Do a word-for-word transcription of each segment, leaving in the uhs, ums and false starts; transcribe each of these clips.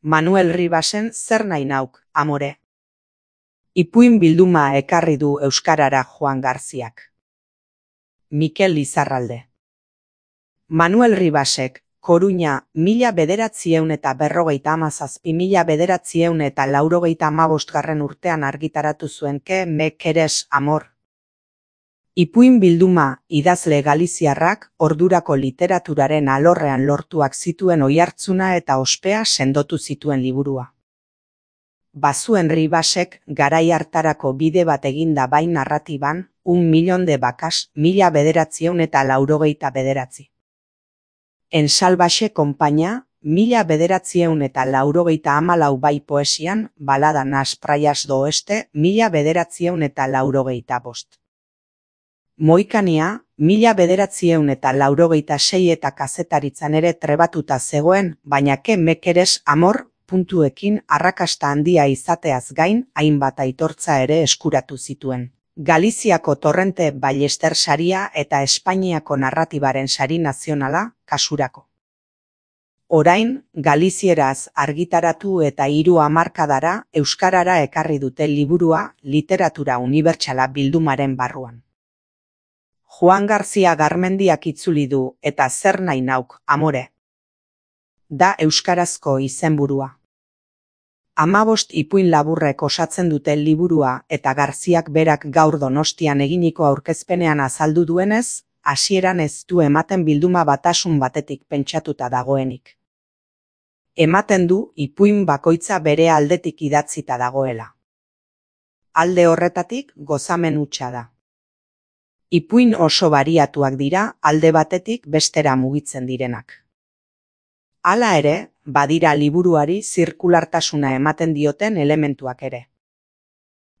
Manuel Ribasen Zer nahi nauk, amore? Ipuin bilduma ekarri du euskarara Juan Garziak. Mikel Lizarralde. Manuel Ribasek, Koruña, mila bederatzieun eta berrogeita hamazazpi mila bederatzieun eta laurogeita hamabostgarren urtean argitaratu zuen Ke me queres amor. Ipuin bilduma idazle galiziarrak ordurako literaturaren alorrean lortuak zituen oihartzuna eta ospea sendotu zituen liburua. Bazuen Ribasek garai hartarako bide bat eginda bai narratiban, un millón de vacas, mila bederatzieun eta laurogeita bederatzi. En salvaxe konpainia, mila bederatzieun eta laurogeita hamalau bai poesian, balada nas praias do oeste, mila bederatzieun eta laurogeita bost. Moikania, mila bederatzieun eta laurogeita sei eta kazetaritzan ere trebatuta zegoen, baina Ke me queres amor, puntuekin arrakasta handia izateaz gain, hainbat aitortza ere eskuratu zituen. Galiziako Torrente Ballester saria eta Espainiako narratibaren sari nazionala, kasurako. Orain, galizieraz argitaratu eta hiru hamarkadara euskarara ekarri dute liburua literatura unibertsala bildumaren barruan. Juan Garzia Garmendiak itzuli du eta Zer nahi nauk, amore? Da euskarazko izenburua. Hamabost ipuin laburrek osatzen dute liburua eta Garziak berak gaur Donostian eginiko aurkezpenean azaldu duenez, hasieran ez du ematen bilduma batasun batetik pentsatuta dagoenik. Ematen du ipuin bakoitza bere aldetik idatzita dagoela. Alde horretatik gozamen hutsa da. Ipuin oso bariatuak dira alde batetik bestera mugitzen direnak. Hala ere, badira liburuari zirkulartasuna ematen dioten elementuak ere.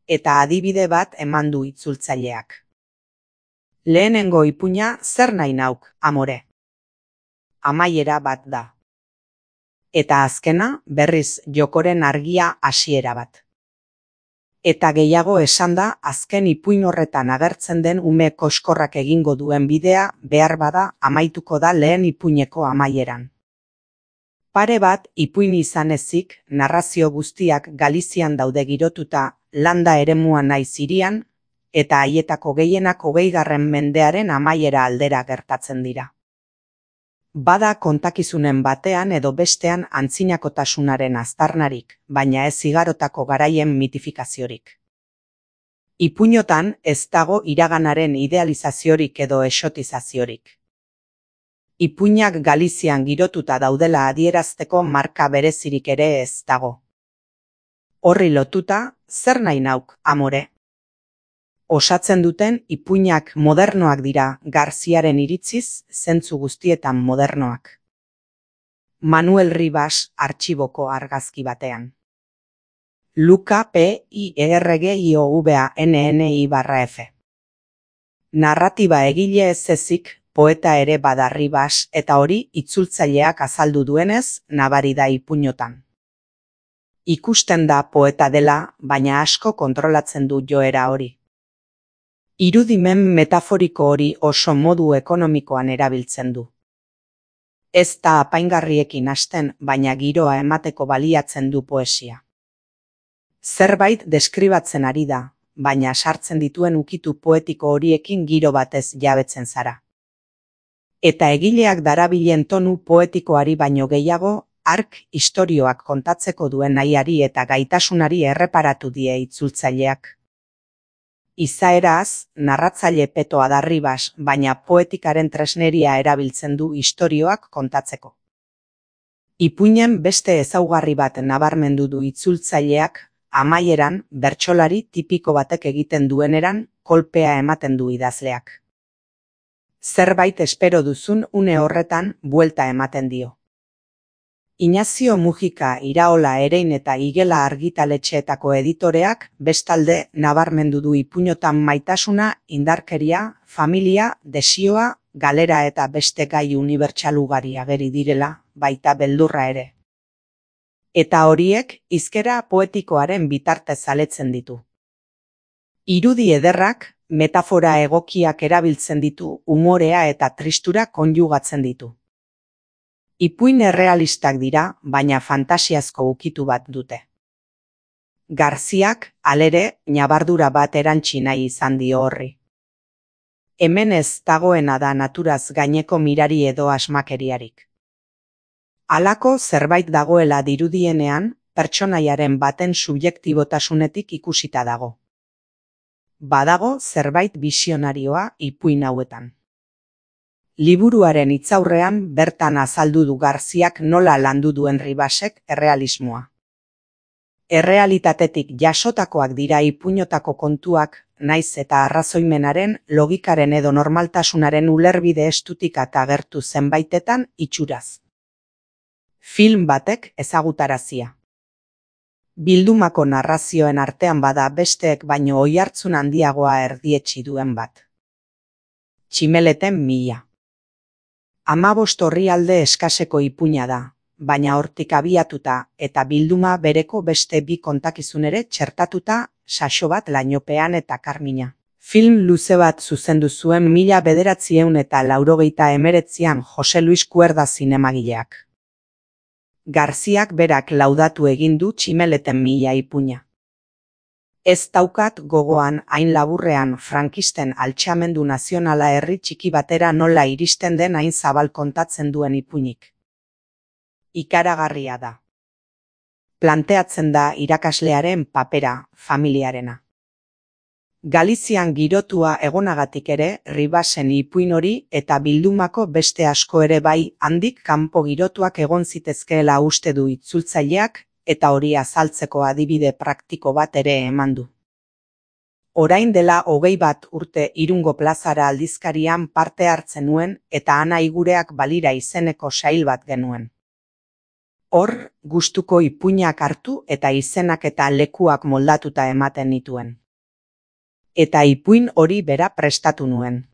Eta adibide bat eman du itzultzaileak. Lehenengo ipuina Zer nahi nauk, amore? Amaiera bat da. Eta azkena berriz jokoren argia hasiera bat. Eta gehiago esan da azken ipuin horretan agertzen den ume koskorrak egingo duen bidea behar bada amaituko da lehen ipuineko amaieran. Pare bat ipuin izan ezik, narrazio guztiak Galizian daude girotuta landa eremuan naiz hirian, eta haietako gehienak hogeigarren mendearen amaiera aldera gertatzen dira. Bada kontakizunen batean edo bestean antzinakotasunaren aztarnarik, baina ez igarotako garaien mitifikaziorik. Ipuinotan ez dago iraganaren idealizaziorik edo exotizaziorik. Ipuinak Galizian girotuta daudela adierazteko marka berezirik ere ez dago. Horri lotuta, Zer nahi nauk, amore? Osatzen duten ipuinak modernoak dira Garziaren iritziz, zentzu guztietan modernoak. Manuel Ribas artxiboko argazki batean. Luka P I R G I O V A N N I barra F. Narratiba egile ez ezik, poeta ere bada Ribas eta hori itzultzaileak azaldu duenez, nabari da ipuinotan. Ikusten da poeta dela, baina asko kontrolatzen du joera hori. Irudimen metaforiko hori oso modu ekonomikoan erabiltzen du. Ez da apaingarriekin hasten, baina giroa emateko baliatzen du poesia. Zerbait deskribatzen ari da, baina sartzen dituen ukitu poetiko horiekin giro batez jabetzen zara. Eta egileak darabilen tonu poetikoari baino gehiago, ark istorioak kontatzeko duen nahiari eta gaitasunari erreparatu die itzultzaileak. Izaeraz, narratzaile petoa da Ribas, baina poetikaren tresneria erabiltzen du istorioak kontatzeko. Ipuinen beste ezaugarri bat nabarmendu du itzultzaileak, amaieran, bertsolari tipiko batek egiten dueneran, kolpea ematen du idazleak. Zerbait espero duzun une horretan buelta ematen dio. Inazio Mujika Iraola Erein eta Igela argitaletxeetako editoreak bestalde nabarmendu du ipuinotan maitasuna, indarkeria, familia, desioa, galera eta beste gai unibertsal ugari ageri direla, baita beldurra ere. Eta horiek hizkera poetikoaren bitartez aletzen ditu. Irudi ederrak, metafora egokiak erabiltzen ditu, umorea eta tristura konjugatzen ditu. Ipuin errealistak dira, baina fantasiazko ukitu bat dute. Garziak, halere, ñabardura bat erantsi nahi izan dio horri. Hemen ez dagoena da naturaz gaineko mirari edo asmakeriarik. Halako zerbait dagoela dirudienean, pertsonaiaren baten subjektibotasunetik ikusita dago. Badago zerbait bisionarioa ipuin hauetan. Liburuaren hitzaurrean bertan azaldu du Garziak nola landu duen Ribasek errealismoa. Errealitatetik jasotakoak dira ipuinotako kontuak, naiz eta arrazoimenaren, logikaren edo normaltasunaren ulerbide estutik eta agertu zenbaitetan itxuraz. Film batek ezagutarazia. Bildumako narrazioen artean bada besteek baino oihartzun handiagoa erdietsi duen bat. Tximeleten mila. Hamabost orrialde eskaseko ipuina da, baina hortik abiatuta eta bilduma bereko beste bi kontakizun ere txertatuta, saxo bat lainopean eta karmina. Film luze bat zuzendu zuen mila bederatziehun eta laurogeita hemeretzian Jose Luis Kuerda zinemagileak. Garziak berak laudatu egin du Tximeleten mila ipuina. Ez daukat gogoan hain laburrean frankisten altxamendu nazionala herri txiki batera nola iristen den hain zabal kontatzen duen ipuinik. Ikaragarria da. Planteatzen da irakaslearen papera, familiarena. Galizian girotua egonagatik ere, Ribasen ipuin hori eta bildumako beste asko ere bai handik kanpo girotuak egon zitezkeela uste du itzultzaileak, eta hori azaltzeko adibide praktiko bat ere eman du. Orain dela hogei bat urte Irungo Plazara aldizkarian parte hartzen nuen eta Ana Igureak balira izeneko sail bat genuen. Hor, gustuko ipuinak hartu eta izenak eta lekuak moldatuta ematen nituen. Eta ipuin hori bera prestatu nuen.